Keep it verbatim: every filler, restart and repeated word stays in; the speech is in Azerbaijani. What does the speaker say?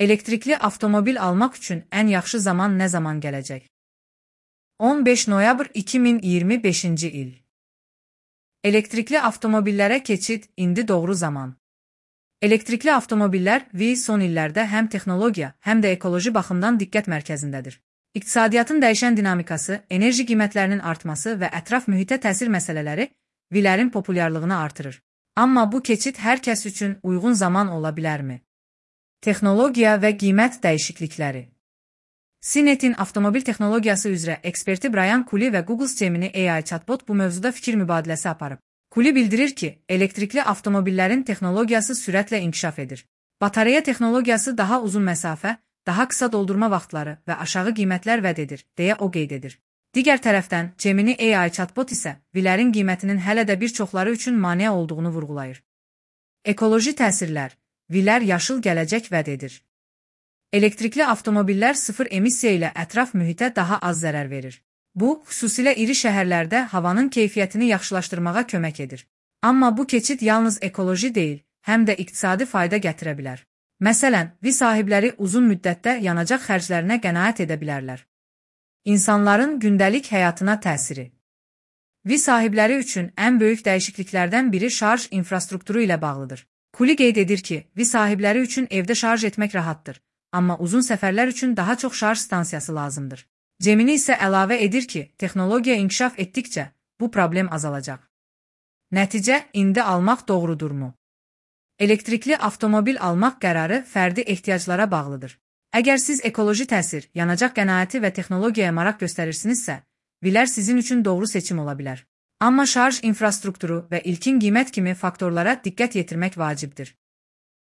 Elektrikli avtomobil almaq üçün ən yaxşı zaman nə zaman gələcək? on beş noyabr iki min iyirmi beşinci il. Elektrikli avtomobillərə keçid indi doğru zaman. Elektrikli avtomobillər V son illərdə həm texnologiya, həm də ekoloji baxımdan diqqət mərkəzindədir. İqtisadiyyatın dəyişən dinamikası, enerji qiymətlərinin artması və ətraf mühitə təsir məsələləri V-lərin populyarlığını artırır. Amma bu keçid hər kəs üçün uyğun zaman ola bilərmi? Texnologiya və qiymət dəyişiklikləri. C NET'in avtomobil texnologiyası üzrə eksperti Brian Cooley və Google Gemini A I chatbot bu mövzuda fikir mübadiləsi aparıb. Cooley bildirir ki, elektrikli avtomobillərin texnologiyası sürətlə inkişaf edir. Batareya texnologiyası daha uzun məsafə, daha qısa doldurma vaxtları və aşağı qiymətlər vəd edir, deyə o qeyd edir. Digər tərəfdən, Gemini A I chatbot isə V-lərin qiymətinin hələ də bir çoxları üçün maneə olduğunu vurğulayır. Ekoloji təsirlər. V-lər yaşıl gələcək vəd edir. Elektrikli avtomobillər sıfır emissiya ilə ətraf mühitə daha az zərər verir. Bu, xüsusilə iri şəhərlərdə havanın keyfiyyətini yaxşılaşdırmağa kömək edir. Amma bu keçid yalnız ekoloji deyil, həm də iqtisadi fayda gətirə bilər. Məsələn, V sahibləri uzun müddətdə yanacaq xərclərinə qənaət edə bilərlər. İnsanların gündəlik həyatına təsiri. V sahibləri üçün ən böyük dəyişikliklərdən biri şarj infrastrukturu ilə bağlıdır. Cooley qeyd edir ki, V sahibləri üçün evdə şarj etmək rahatdır, amma uzun səfərlər üçün daha çox şarj stansiyası lazımdır. Gemini isə əlavə edir ki, texnologiya inkişaf etdikcə bu problem azalacaq. Nəticə, indi almaq doğrudurmu? Elektrikli avtomobil almaq qərarı fərdi ehtiyaclara bağlıdır. Əgər siz ekoloji təsir, yanacaq qənaəti və texnologiyaya maraq göstərirsinizsə, V-lər sizin üçün doğru seçim ola bilər. Amma şarj infrastrukturu və ilkin qiymət kimi faktorlara diqqət yetirmək vacibdir.